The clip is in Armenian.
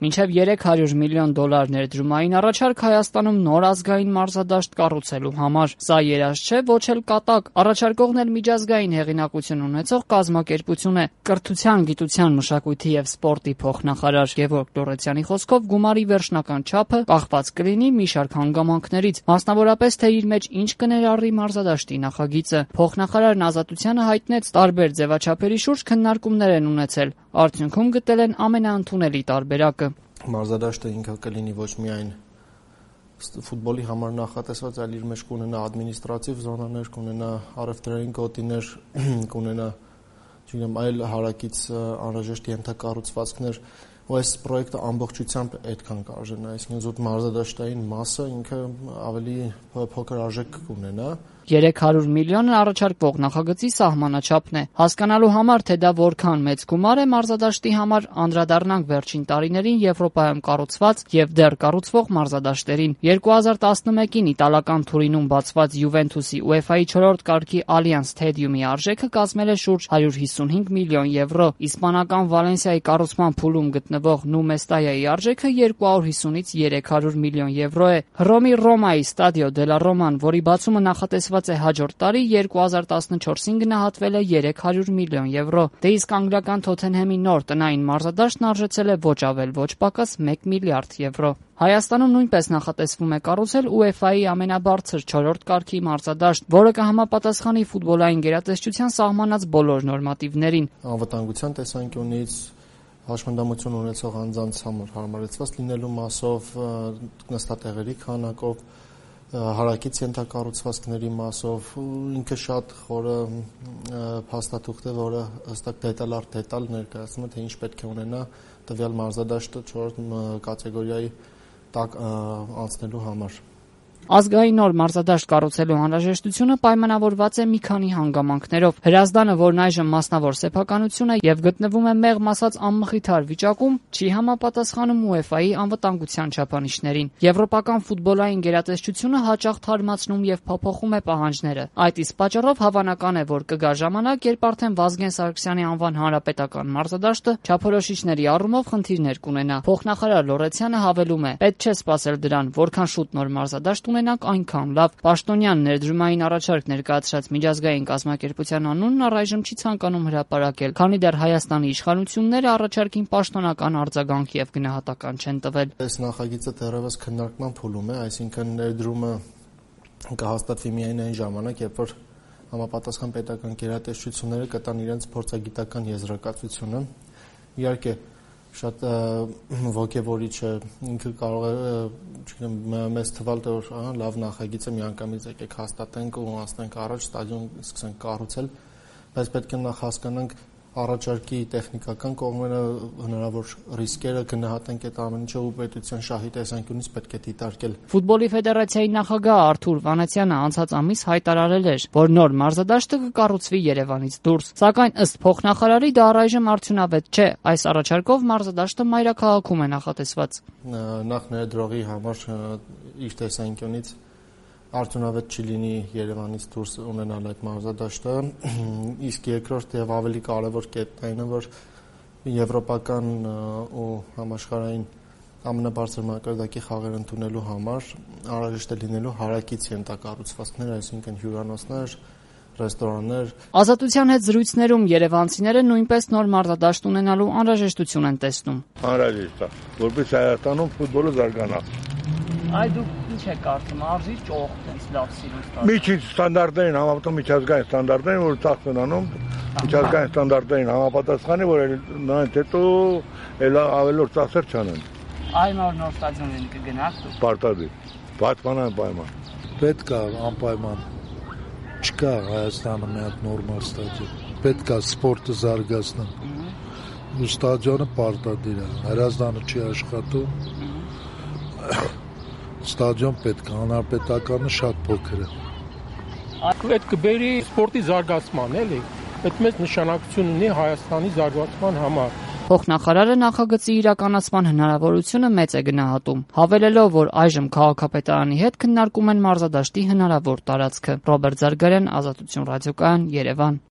Մինչև $300 միլիոն ներդրումային առաջարկ Հայաստանում նոր ազգային մարզադաշտ կառուցելու համար։ Սա երազ չէ, ոչ էլ կատակ։ Առաջարկողն էլ միջազգային հեղինակություն ունեցող կազմակերպություն է։ Կրթության, գիտության, մշակույթի և սպորտի փոխնախարար Գևորգ Լոռեցյանի խոսքով գումարի վերջնական չափը կախված կլինի մի շարք հանգամանքներից, մասնավորապես թե իր մեջ ինչ կներառի մարզադաշտի նախագիծը։ Փոխնախարարն Ազատությանը հայտնեց, տարբեր ձևաչափերի շուրջ քննարկումներ են ունեցել, արդյունքում գտել են ամենաընդունելի տարբերակը։ Մարզադաշտը ինքը կլինի ոչ միայն ֆուտբոլի համար նախատեսված, այլ իր մեջ կունենա ադմինիստրատիվ զոնաներ, կունենա առևտրային գոտիներ, կունենա այլ հարակից անհրաժեշտ ենթակառուցվածքներ, ու այս պրոյեկտը ամբողջությամբ այդքան կարժենա, այսինքն զուտ մարզադաշտային մասը ինքը ավելի փոքր արժեք կունենա։ 300 միլիոնը առաջարկվող նախագծի սահմանաչափն է։ Հասկանալու համար, թե դա որքան մեծ գումար է մարզադաշտի համար, անդրադառնանք վերջին տարիներին Եվրոպայում կառուցված եւ դեռ կառուցվող մարզադաշտերին։ 2011-ին իտալական Թուրինում բացված Յուվենթուսի UEFA-ի 4-րդ կարգի Allianz Stadium-ի արժեքը կազմել է շուրջ 155 միլիոն եվրո։ Իսպանական Վալենսիայի կառուցման փուլում գտնվող Նու Մեստայայի արժեքը 250-ից 300 միլիոն եվրո է։ Հռոմի Ռոմայի Stadio della Roma-ն, որի բացումը նախատեսված է հաջորդ տարի, 2014-ին գնահատվել է 300 միլիոն եվրո։ Դե իսկ անգլիական Թոթենհեմի նոր տնային մարզադաշտն արժեցել է ոչ ավել ոչ պակաս 1 միլիարդ եվրո։ Հայաստանում նույնպես նախատեսվում է կառուցել UEFA-ի ամենաբարձր 4-րդ կարգի մարզադաշտ, որը կհամապատասխանի ֆուտբոլային գերատեսչության սահմանած բոլոր նորմատիվներին։ Անվտանգության տեսանկյունից հաշմանդամություն ունեցող անձանց համար հարմարեցված լինելու մասով, նստատեղերի քանակով, հարակից ենթակառուցվածքների մասով, ինքը շատ խորը փաստաթուղթ է, որը հստակ դետալ առ դետալ ներկայացնում է, թե ինչ պետք է ունենա տվյալ մարզադաշտը 4 կատեգորիայի տակ անցնելու համար։ Ազգային նոր մարզադաշտ կառուցելու անհրաժեշտությունը պայմանավորված է մի քանի հանգամանքներով։ Հրազդանը, որն այժմ մասնավոր սեփականություն է եւ գտնվում է մեղմ ասած անմխիթար վիճակում, չի համապատասխանում UEFA-ի անվտանգության չափանիշներին։ Եվրոպական ֆուտբոլային գերատեսչությունը հաճախ թարմացնում եւ փոփոխում է պահանջները։ Այդ իսկ պատճառով հավանական է, որ կգա ժամանակ, երբ արդեն Վազգեն Սարգսյանի անվան հանրապետական մարզադաշտը չափորոշիչների առումով խնդիրներ կունենա։ Փոխնախարար Լոռեցյանը հավելում է. պետք չէ սպասել դրան, որքան շուտ նոր մարզադաշտ ունենանք, այնքան լավ։ Պաշտոնյան ներդրումային առաջարկ ներկայացրած միջազգային կազմակերպության անունն առայժմ չի ցանկանում հրապարակել, քանի դեռ Հայաստանի իշխանությունները առաջարկին պաշտոնական արձագանք եւ գնահատական չեն տվել։ Այս նախագիծը դեռևս քննարկման փուլում է, այսինքն ներդրումը կհաստատվի միայն այն ժամանակ, երբ որ համապատասխան պետական գերատեսչությունները կտան իրենց փորձագիտական եզրակացությունը։ Իհարկե շատ ոգևորիչ է, ինքը կարող է մեզ թվալ, որ լավ նախագիծ է, միանգամից եկեք հաստատենք ու անցնենք առաջ, ստադիոն սկսենք կառուցել, բայց պետք է նախ հասկանանք առաջարկի տեխնիկական կողմերը, հնարավոր ռիսկերը, գնահատենք այդ ամեն ինչը ու պետության շահի տեսանկյունից պետք է դիտարկել։ Ֆուտբոլի ֆեդերացիայի նախագահ Արթուր Վանեցյանը անցած ամիս հայտարարել էր, որ նոր մարզադաշտը կկառուցվի Երևանից դուրս, սակայն ըստ փոխնախարարի դա առայժմ արդյունավետ չէ։ Այս առաջարկով մարզադաշտը մայրաքաղաքում է նախատեսված։ Նախ ներդրողի համար իր տեսանկյունից արդյունավետ չի լինի Երևանից դուրս ունենալ այդ մարզադաշտը, իսկ երկրորդ եւ ավելի կարեւոր կետն այն է, որ եվրոպական ու համաշխարհային ամենաբարձր մակարդակի խաղեր ընդունելու համար անհրաժեշտ է լինելու հարակից ենթակառուցվածքներ, այսինքն հյուրանոցներ, ռեստորաններ։ Ազատության հետ զրույցներում երևանցիները նույնպես նոր մարզադաշտ ունենալու անհրաժեշտություն են տեսնում։ Անհրաժեշտ է, որպես Հայաստանում ֆուտբոլը զարգանա։ Այ դուք ինչ եք կարծում, արժի ճոխ տենց լավ սիրուն Միջին ստանդարտներին համապատասխան միջազգային ստանդարտներին, որ ծախս են անում, միջազգային ստանդարտներին համապատասխանի, որ նրանց հետո էլ ավելորդ ծախսեր չանեն։ Այ նոր ստադիոնին կգնաք դուք։ Պարտադիր, պայման։ Պետք է անպայման։ Չկա Հայաստանը մի հատ նորմալ ստադիոն։ Պետք է սպորտը զարգացնել։ Ու ստադիոնը պարտադիր է։ Հրազդանը չի աշխատում։ Ստադիոն պետք է, հանրապետականը շատ փոքր է։ Այդ կբերի սպորտի զարգացման, էլի։ Այդ մեծ նշանակություն ունի Հայաստանի զարգացման համար։ Փոխնախարարը նախագծի իրականացման հնարավորությունը մեծ է գնահատում, հավելելով, որ այժմ քաղաքապետարանի հետ քննարկում են մարզադաշտի հնարավոր տարածքը։ Ռոբերտ Զարգարյան, Ազատություն ռադիոկայան, Երևան։